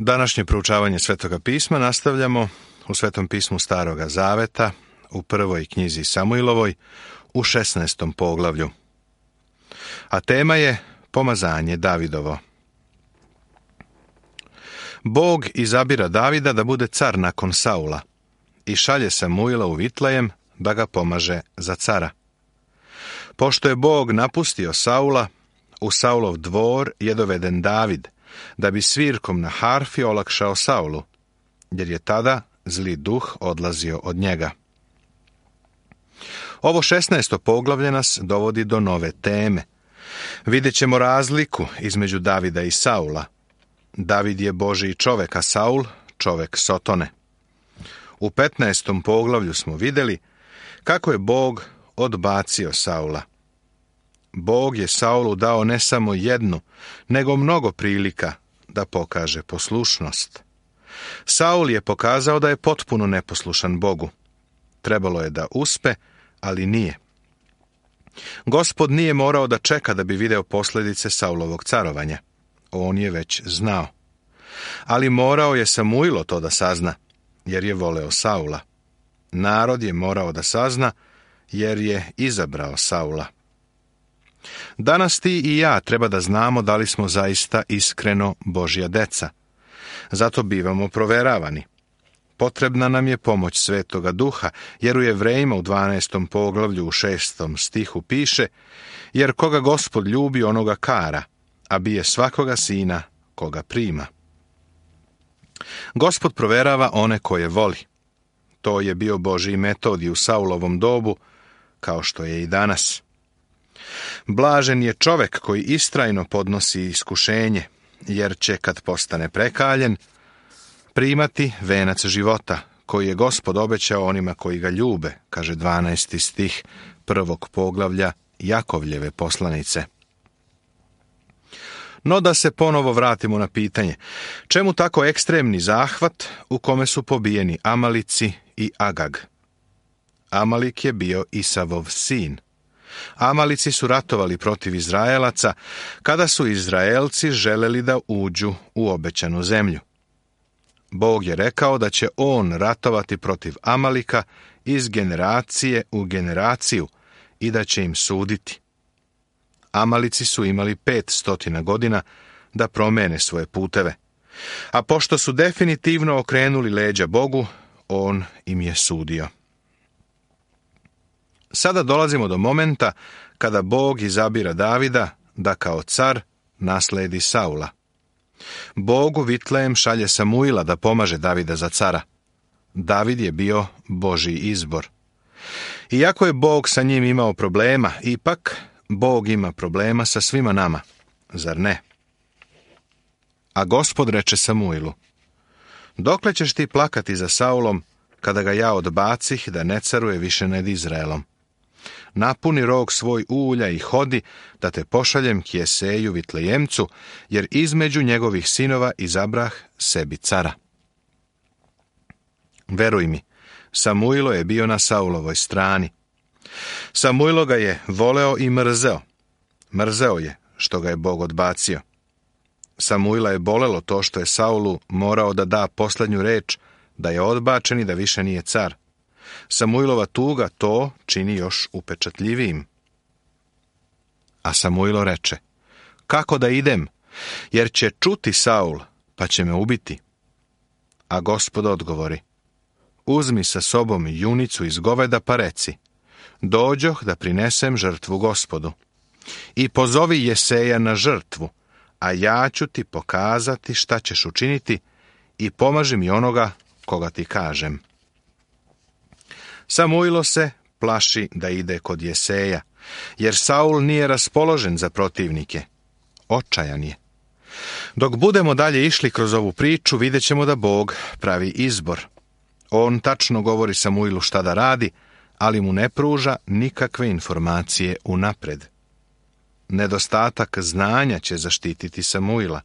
Današnje proučavanje Svetoga pisma nastavljamo u Svetom pismu Staroga Zaveta, u prvoj knjizi Samuilovoj, u 16. poglavlju. A tema je pomazanje Davidovo. Bog izabira Davida da bude car nakon Saula i šalje Samuila u Vitlejem da ga pomaže za cara. Pošto je Bog napustio Saula, u Saulov dvor je doveden David, da bi svirkom na harfi olakšao Saulu, jer je tada zli duh odlazio od njega. Ovo 16. poglavlje nas dovodi do nove teme. Vidjet ćemo razliku između Davida i Saula. David je Božji čovek, a Saul čovek Sotone. U 15. poglavlju smo vidjeli kako je Bog odbacio Saula. Bog je Saulu dao ne samo jednu, nego mnogo prilika da pokaže poslušnost. Saul je pokazao da je potpuno neposlušan Bogu. Trebalo je da uspe, ali nije. Gospod nije morao da čeka da bi video posljedice Saulovog carovanja. On je već znao. Ali morao je Samuilo to da sazna, jer je voleo Saula. Narod je morao da sazna, jer je izabrao Saula. Danas ti i ja treba da znamo da li smo zaista iskreno Božja deca. Zato bivamo proveravani. Potrebna nam je pomoć Svetoga Duha, jer u Jevrejima u 12. poglavlju u 6. stihu piše: jer koga Gospod ljubi, onoga kara, a bije svakoga sina koga prima. Gospod proverava one koje voli. To je bio Božji metod i u Saulovom dobu, kao što je i danas. Blažen je čovek koji istrajno podnosi iskušenje, jer će, kad postane prekaljen, primati venac života, koji je Gospod obećao onima koji ga ljube, kaže 12. stih 1. poglavlja Jakovljeve poslanice. No da se ponovo vratimo na pitanje, čemu tako ekstremni zahvat u kome su pobijeni Amalici i Agag? Amalik je bio Isavov sin. Amalici su ratovali protiv Izraelaca kada su Izraelci želeli da uđu u obećanu zemlju. Bog je rekao da će on ratovati protiv Amalika iz generacije u generaciju i da će im suditi. Amalici su imali 500 godina da promene svoje puteve, a pošto su definitivno okrenuli leđa Bogu, on im je sudio. Sada dolazimo do momenta kada Bog izabira Davida da kao car nasledi Saula. Bog u Vitlejem šalje Samuila da pomaže Davida za cara. David je bio Božji izbor. Iako je Bog sa njim imao problema, ipak Bog ima problema sa svima nama, zar ne? A Gospod reče Samuilu: dokle ćeš ti plakati za Saulom, kada ga ja odbacih da ne caruje više nad Izraelom? Napuni rog svoj ulja i hodi, da te pošaljem k Jeseju Vitlejemcu, jer između njegovih sinova izabrah sebi cara. Veruj mi, Samuilo je bio na Saulovoj strani. Samuilo ga je voleo i mrzeo. Mrzeo je što ga je Bog odbacio. Samuila je bolelo to što je Saulu morao da da posljednju reč, da je odbačen i da više nije car. Samuilova tuga to čini još upečatljivijim. A Samuilo reče: kako da idem, jer će čuti Saul, pa će me ubiti. A Gospod odgovori: uzmi sa sobom junicu iz goveda pa reci: dođoh da prinesem žrtvu Gospodu. I pozovi Jeseja na žrtvu, a ja ću ti pokazati šta ćeš učiniti i pomaži mi onoga koga ti kažem. Samuilo se plaši da ide kod Jeseja, jer Saul nije raspoložen za protivnike. Očajan je. Dok budemo dalje išli kroz ovu priču, vidjet ćemo da Bog pravi izbor. On tačno govori Samuilu šta da radi, ali mu ne pruža nikakve informacije unapred. Nedostatak znanja će zaštititi Samuila.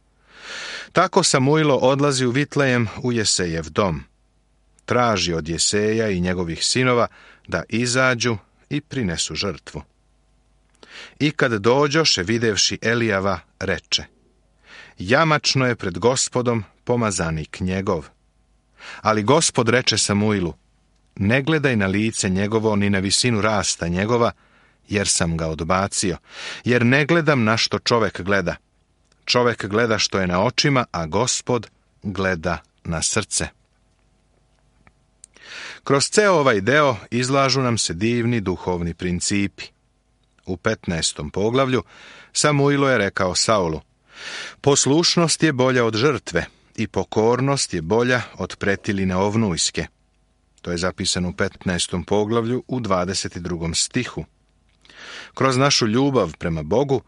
Tako Samuilo odlazi u Vitlejem u Jesejev dom. Traži od Jeseja i njegovih sinova da izađu i prinesu žrtvu. I kad dođoše, videvši Elijava, reče: jamačno je pred Gospodom pomazanik njegov. Ali Gospod reče Samuilu, ne gledaj na lice njegovo ni na visinu rasta njegova, jer sam ga odbacio, jer ne gledam na što čovek gleda. Čovek gleda što je na očima, a Gospod gleda na srce. Kroz ceo ovaj deo izlažu nam se divni duhovni principi. U 15. poglavlju Samuilo je rekao Saulu, poslušnost je bolja od žrtve i pokornost je bolja od pretiline ovnujske. To je zapisano u 15. poglavlju u 22. stihu. Kroz našu ljubav prema Bogu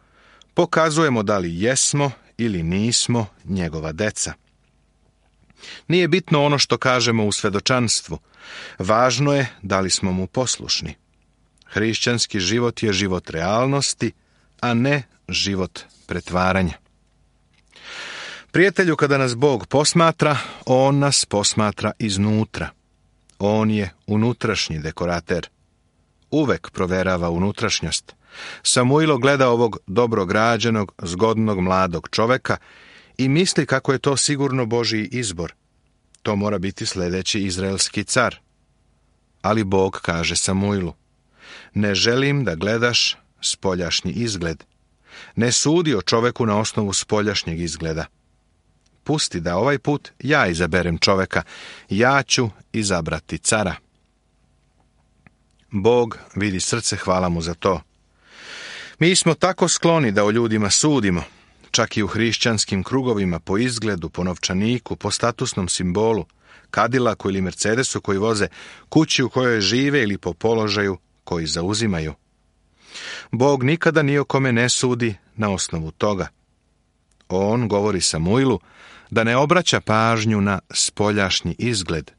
pokazujemo da li jesmo ili nismo njegova deca. Nije bitno ono što kažemo u svedočanstvu, važno je da li smo mu poslušni. Hrišćanski život je život realnosti, a ne život pretvaranja. Prijatelju, kada nas Bog posmatra, on nas posmatra iznutra. On je unutrašnji dekorater. Uvek proverava unutrašnjost. Samuilo gleda ovog dobrograđenog, zgodnog mladog čoveka i misli kako je to sigurno Božji izbor. To mora biti sljedeći izraelski car. Ali Bog kaže Samuilu, ne želim da gledaš spoljašnji izgled. Ne sudi o čoveku na osnovu spoljašnjeg izgleda. Pusti da ovaj put ja izaberem čoveka, ja ću izabrati cara. Bog vidi srce, hvala mu za to. Mi smo tako skloni da o ljudima sudimo, čak i u hrišćanskim krugovima, po izgledu, po novčaniku, po statusnom simbolu, Cadillacu ili Mercedesu koji voze, kući u kojoj žive ili po položaju koji zauzimaju. Bog nikada ni o kome ne sudi na osnovu toga. On govori Samuilu da ne obraća pažnju na spoljašnji izgled.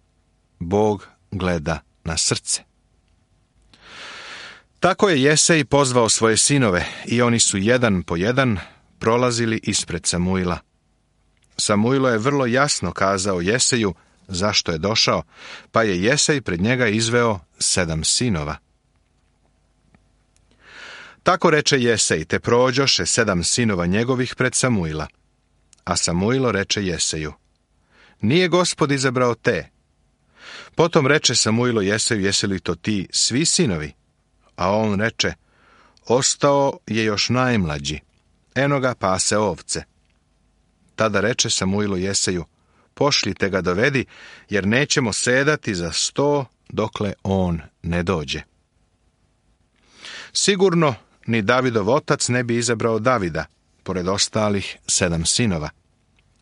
Bog gleda na srce. Tako je Jesej pozvao svoje sinove i oni su jedan po jedan prolazili ispred Samuila. Samuilo je vrlo jasno kazao Jeseju zašto je došao, pa je Jesej pred njega izveo 7 sinova. Tako reče Jesej, te prođoše 7 sinova njegovih pred Samuila. A Samuilo reče Jeseju, nije Gospod izabrao te. Potom reče Samuilo Jeseju, jesi li to ti svi sinovi? A on reče, ostao je još najmlađi, eno ga pase ovce. Tada reče Samuilo Jeseju, pošljite ga dovedi, jer nećemo sedati za 100 dokle on ne dođe. Sigurno ni Davidov otac ne bi izabrao Davida, pored ostalih 7 sinova.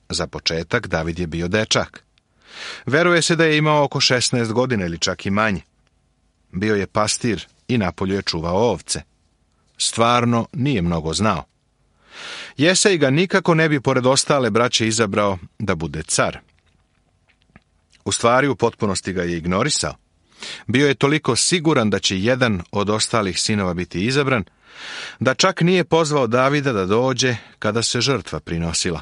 Za početak David je bio dečak. Veruje se da je imao oko 16 godina ili čak i manje. Bio je pastir i napolju je čuvao ovce. Stvarno nije mnogo znao. Jesej ga nikako ne bi pored ostale braće izabrao da bude car. U stvari u potpunosti ga je ignorisao. Bio je toliko siguran da će jedan od ostalih sinova biti izabran, da čak nije pozvao Davida da dođe kada se žrtva prinosila.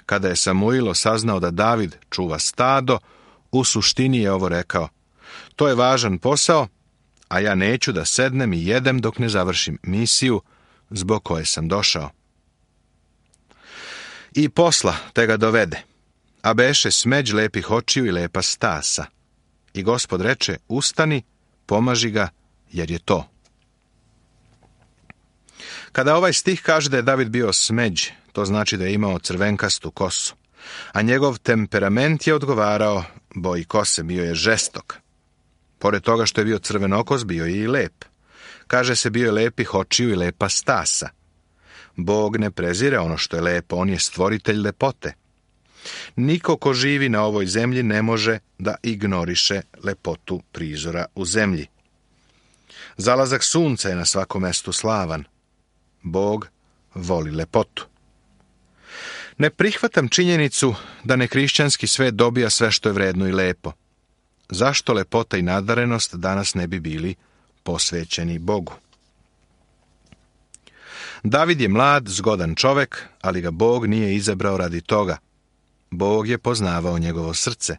Kada je Samuilo saznao da David čuva stado, u suštini je ovo rekao, to je važan posao, a ja neću da sednem i jedem dok ne završim misiju zbog koje sam došao. I posla te ga dovede, a beše smeđ lepih očiju i lepa stasa. I Gospod reče, ustani, pomaži ga, jer je to. Kada ovaj stih kaže da je David bio smeđ, to znači da je imao crvenkastu kosu, a njegov temperament je odgovarao boji kose, bio je žestok. Pored toga što je bio crvenokos, bio je i lep. Kaže se, bio je lepih očiju i lepa stasa. Bog ne prezire ono što je lepo, on je stvoritelj lepote. Niko ko živi na ovoj zemlji ne može da ignoriše lepotu prizora u zemlji. Zalazak sunca je na svakom mestu slavan. Bog voli lepotu. Ne prihvatam činjenicu da nekrišćanski svet dobija sve što je vredno i lepo. Zašto lepota i nadarenost danas ne bi bili posvećeni Bogu? David je mlad, zgodan čovek, ali ga Bog nije izabrao radi toga. Bog je poznavao njegovo srce.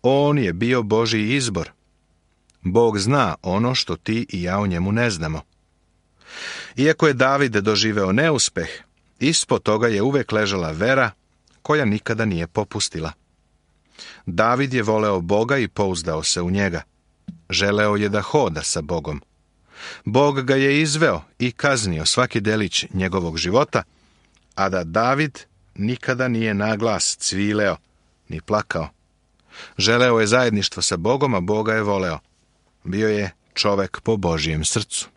On je bio Božji izbor. Bog zna ono što ti i ja o njemu ne znamo. Iako je David doživeo neuspeh, ispod toga je uvek ležala vera koja nikada nije popustila. David je voleo Boga i pouzdao se u njega. Želeo je da hoda sa Bogom. Bog ga je izveo i kaznio svaki delić njegovog života, a da David nikada nije naglas cvileo ni plakao. Želeo je zajedništvo sa Bogom, a Boga je voleo. Bio je čovek po Božijem srcu.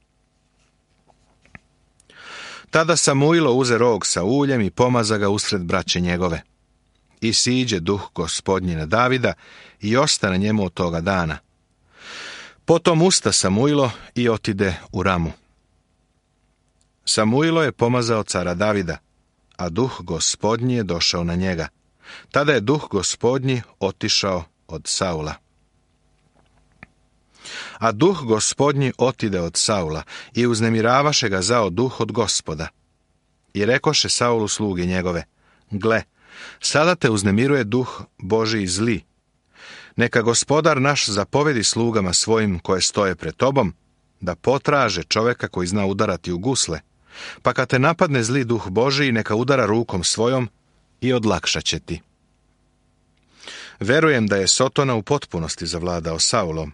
Tada Samuilo uze rog sa uljem i pomaza ga usred braće njegove. I siđe duh Gospodnji na Davida i ostane njemu od toga dana. Potom usta Samuilo i otide u Ramu. Samuilo je pomazao cara Davida, a duh Gospodnji je došao na njega. Tada je duh Gospodnji otišao od Saula. A duh Gospodnji otide od Saula i uznemiravaše ga zao duh od Gospoda. I rekoše Saulu sluge njegove: gle, sada te uznemiruje duh Božiji zli. Neka Gospodar naš zapovedi slugama svojim koje stoje pred tobom, da potraže čoveka koji zna udarati u gusle, pa kad te napadne zli duh Božiji, neka udara rukom svojom i odlakšat će ti. Verujem da je Sotona u potpunosti zavladao Saulom.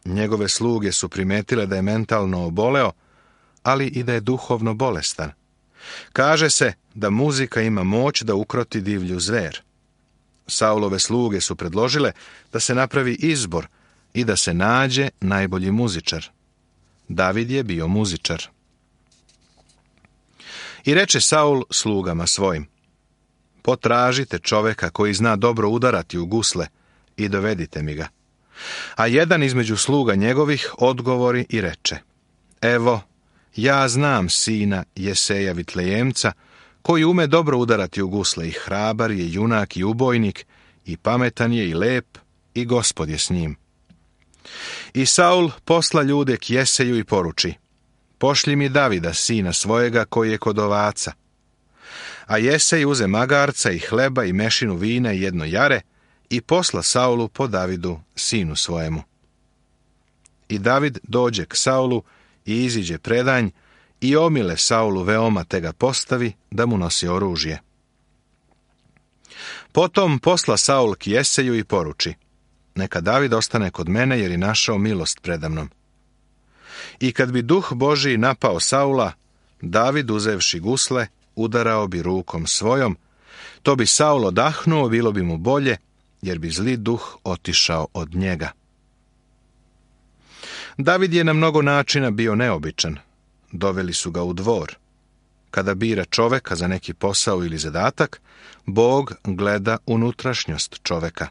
Njegove sluge su primetile da je mentalno oboleo, ali i da je duhovno bolestan. Kaže se da muzika ima moć da ukroti divlju zver. Saulove sluge su predložile da se napravi izbor i da se nađe najbolji muzičar. David je bio muzičar. I reče Saul slugama svojim: potražite čoveka koji zna dobro udarati u gusle i dovedite mi ga. A jedan između sluga njegovih odgovori i reče: evo, ja znam sina Jeseja Vitlejemca, koji ume dobro udarati u gusle, i hrabar je, junak i ubojnik, i pametan je i lep, i Gospod je s njim. I Saul posla ljude k Jeseju i poruči: pošlji mi Davida, sina svojega, koji je kod ovaca. A Jesej uze magarca i hleba i mešinu vina i jedno jare i posla Saulu po Davidu, sinu svojemu. I David dođe k Saulu i iziđe predanj i omile Saulu veoma, te ga postavi da mu nosi oružje. Potom posla Saul k Jeseju i poruči: neka David ostane kod mene, jer je našao milost predamnom. I kad bi duh Božiji napao Saula, David, uzevši gusle, udarao bi rukom svojom, to bi Saul odahnuo, bilo bi mu bolje, jer bi zli duh otišao od njega. David je na mnogo načina bio neobičan. Doveli su ga u dvor. Kada bira čoveka za neki posao ili zadatak, Bog gleda unutrašnjost čoveka.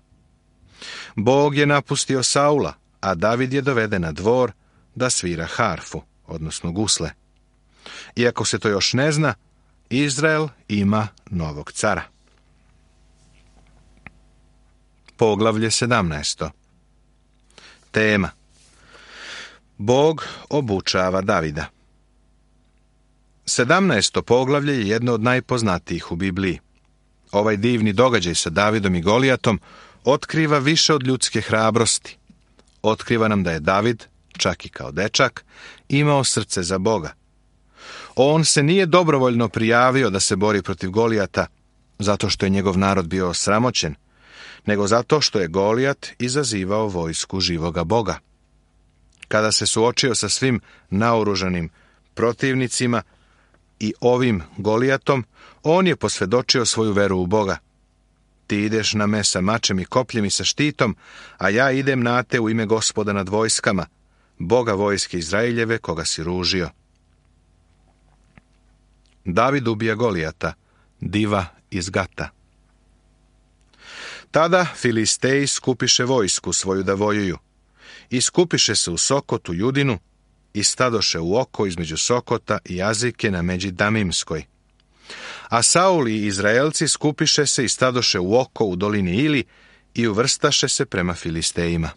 Bog je napustio Saula, a David je doveden na dvor da svira harfu, odnosno gusle. Iako se to još ne zna, Izrael ima novog cara. Poglavlje 17. Tema: Bog obučava Davida. 17. poglavlje je jedno od najpoznatijih u Bibliji. Ovaj divni događaj sa Davidom i Golijatom otkriva više od ljudske hrabrosti. Otkriva nam da je David, čak i kao dečak, imao srce za Boga. On se nije dobrovoljno prijavio da se bori protiv Golijata zato što je njegov narod bio osramoćen, nego zato što je Golijat izazivao vojsku živoga Boga. Kada se suočio sa svim naoružanim protivnicima i ovim Golijatom, on je posvjedočio svoju veru u Boga. Ti ideš na me sa mačem i kopljem i sa štitom, a ja idem na te u ime Gospoda nad vojskama, Boga vojske Izraeljeve, koga si ružio. David ubija Golijata, diva iz Gata. Tada Filisteji skupiše vojsku svoju da vojuju. I skupiše se u Sokotu Judinu i stadoše u oko između Sokota i Azike na međi Damimskoj. A Saul i Izraelci skupiše se i stadoše u oko u dolini Ili i uvrstaše se prema Filistejima.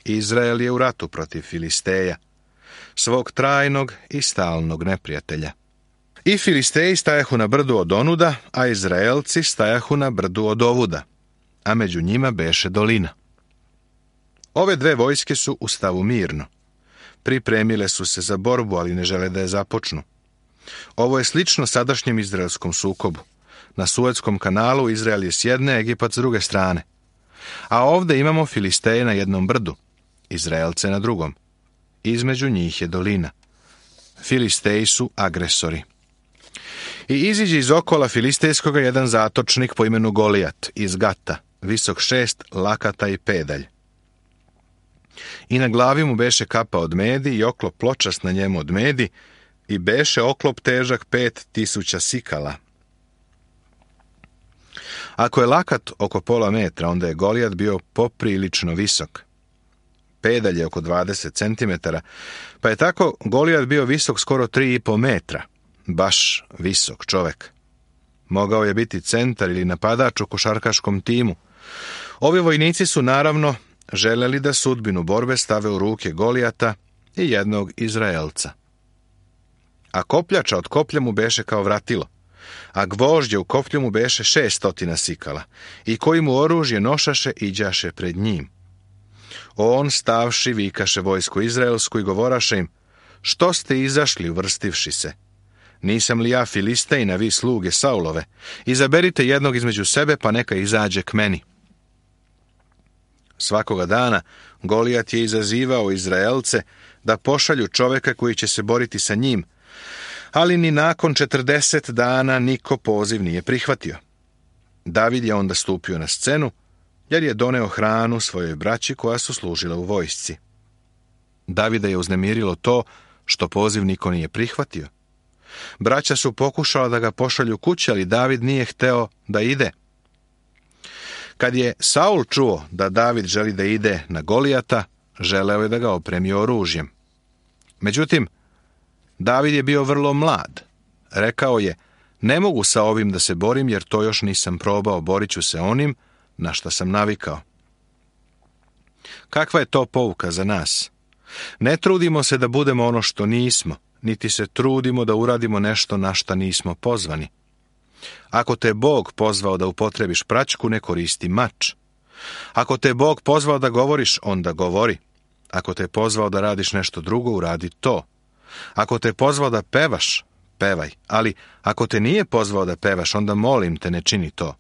Izrael je u ratu protiv Filisteja, svog trajnog i stalnog neprijatelja. I Filisteji stajahu na brdu od onuda, a Izraelci stajahu na brdu od ovuda, a među njima beše dolina. Ove dve vojske su u stavu mirno. Pripremile su se za borbu, ali ne žele da je započnu. Ovo je slično sadašnjem izraelskom sukobu. Na Suetskom kanalu Izrael je s jedne, Egipat s druge strane. A ovdje imamo Filisteje na jednom brdu, Izraelce na drugom. Između njih je dolina. Filisteji su agresori. I iziđe iz okola filistejskoga jedan zatočnik po imenu Golijat iz Gata, visok 6 lakata i pedalj. I na glavi mu beše kapa od medi i oklop pločast na njemu od medi i beše oklop težak 5000 sikala. Ako je lakat oko pola metra, onda je Golijat bio poprilično visok. Pedalj je oko 20 cm, pa je tako Golijat bio visok skoro 3,5 metra. Baš visok čovek. Mogao je biti centar ili napadač u košarkaškom timu. Ovi vojnici su naravno želeli da sudbinu borbe stave u ruke Golijata i jednog Izraelca. A kopljača od koplja mu beše kao vratilo, a gvožđe u koplju mu beše 600 sikala, i koji mu oružje nošaše iđaše pred njim. On stavši vikaše vojsku izraelsku i govoraše im: što ste izašli uvrstivši se? Nisam li ja Filistejin, a vi sluge Saulove? Izaberite jednog između sebe, pa neka izađe k meni. Svakoga dana Golijat je izazivao Izraelce da pošalju čoveka koji će se boriti sa njim, ali ni nakon 40 dana niko poziv nije prihvatio. David je onda stupio na scenu, jer je doneo hranu svojoj braći koja su služila u vojsci. Davida je uznemirilo to što poziv niko nije prihvatio. Braća su pokušala da ga pošalju kući, ali David nije hteo da ide. Kad je Saul čuo da David želi da ide na Golijata, želeo je da ga opremi oružjem. Međutim, David je bio vrlo mlad. Rekao je: ne mogu sa ovim da se borim, jer to još nisam probao, borit ću se onim na što sam navikao. Kakva je to pouka za nas? Ne trudimo se da budemo ono što nismo, niti se trudimo da uradimo nešto na šta nismo pozvani. Ako te Bog pozvao da upotrebiš praćku, ne koristi mač. Ako te Bog pozvao da govoriš, onda govori. Ako te pozvao da radiš nešto drugo, uradi to. Ako te pozvao da pevaš, pevaj. Ali ako te nije pozvao da pevaš, onda molim te, ne čini to.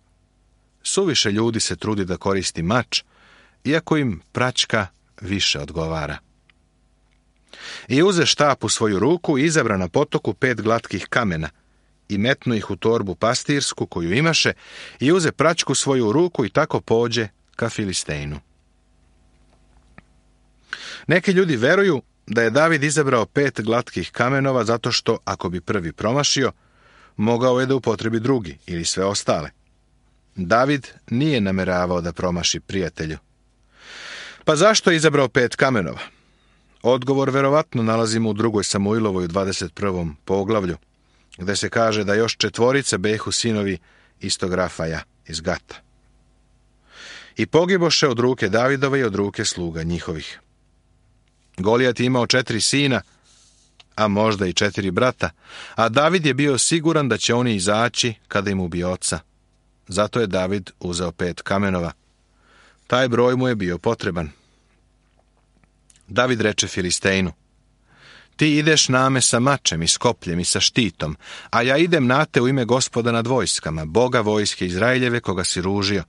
Suviše ljudi se trudi da koristi mač, iako im praćka više odgovara. I uze štap u svoju ruku i izabra na potoku 5 glatkih kamena i metnu ih u torbu pastirsku koju imaše i uze praćku svoju u ruku i tako pođe ka Filistejnu. Neki ljudi veruju da je David izabrao 5 glatkih kamenova zato što, ako bi prvi promašio, mogao je da upotrebi drugi ili sve ostale. David nije nameravao da promaši prijatelju. Pa zašto je izabrao 5 kamenova? Odgovor verovatno nalazimo u 2. Samuilovoj u 21. poglavlju, gde se kaže da još 4 behu sinovi istog Rafaja iz Gata. I pogiboše od ruke Davidove i od ruke sluga njihovih. Golijat je imao 4 sina, a možda i 4 brata, a David je bio siguran da će oni izaći kada im ubije oca. Zato je David uzeo 5 kamenova. Taj broj mu je bio potreban. David reče Filistejnu: ti ideš name sa mačem i s kopljem i sa štitom, a ja idem na te u ime Gospoda nad vojskama, Boga vojske Izraeljeve koga si ružio.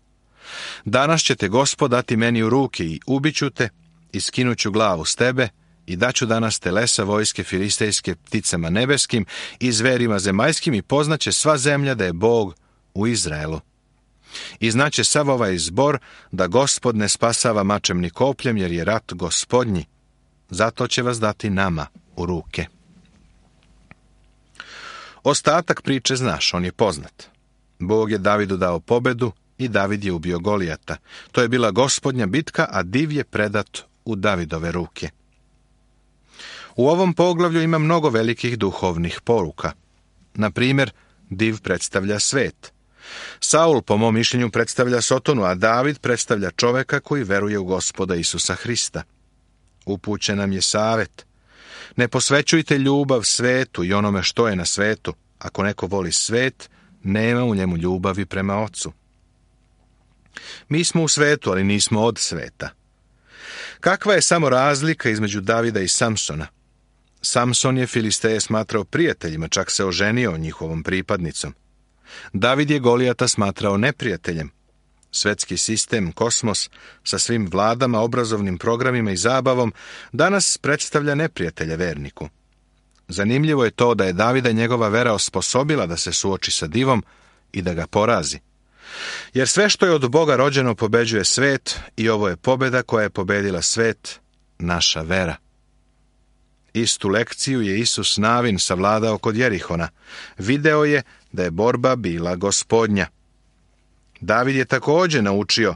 Danas će te Gospod dati meni u ruke i ubiću te i skinuću glavu s tebe i daću danas telesa vojske filistejske pticama nebeskim i zverima zemaljskim i poznaće sva zemlja da je Bog u Izraelu. I znaće sav ovaj zbor da Gospod ne spasava mačem ni kopljem, jer je rat Gospodnji. Zato će vas dati nama u ruke. Ostatak priče znaš, on je poznat. Bog je Davidu dao pobedu i David je ubio Golijata. To je bila Gospodnja bitka, a div je predat u Davidove ruke. U ovom poglavlju ima mnogo velikih duhovnih poruka. Na primjer, div predstavlja svet. Saul, po mom mišljenju, predstavlja Sotonu, a David predstavlja čoveka koji veruje u Gospoda Isusa Hrista. Upućen nam je savet: ne posvećujte ljubav svetu i onome što je na svetu. Ako neko voli svet, nema u njemu ljubavi prema Ocu. Mi smo u svetu, ali nismo od sveta. Kakva je samo razlika između Davida i Samsona? Samson je Filisteje smatrao prijateljima, čak se oženio njihovom pripadnicom. David je Golijata smatrao neprijateljem. Svetski sistem, kosmos, sa svim vladama, obrazovnim programima i zabavom, danas predstavlja neprijatelja verniku. Zanimljivo je to da je Davida njegova vera osposobila da se suoči sa divom i da ga porazi. Jer sve što je od Boga rođeno pobeđuje svet i ovo je pobjeda koja je pobedila svet, naša vera. Istu lekciju je Isus Navin savladao kod Jerihona. Video je da je borba bila Gospodnja. David je također naučio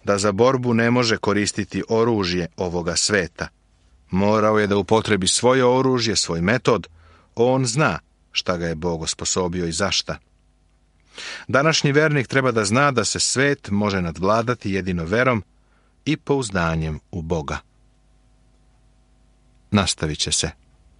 da za borbu ne može koristiti oružje ovoga sveta. Morao je da upotrebi svoje oružje, svoj metod. On zna šta ga je Bog osposobio i zašta. Današnji vernik treba da zna da se svet može nadvladati jedino verom i pouzdanjem u Boga. Nastavit će se.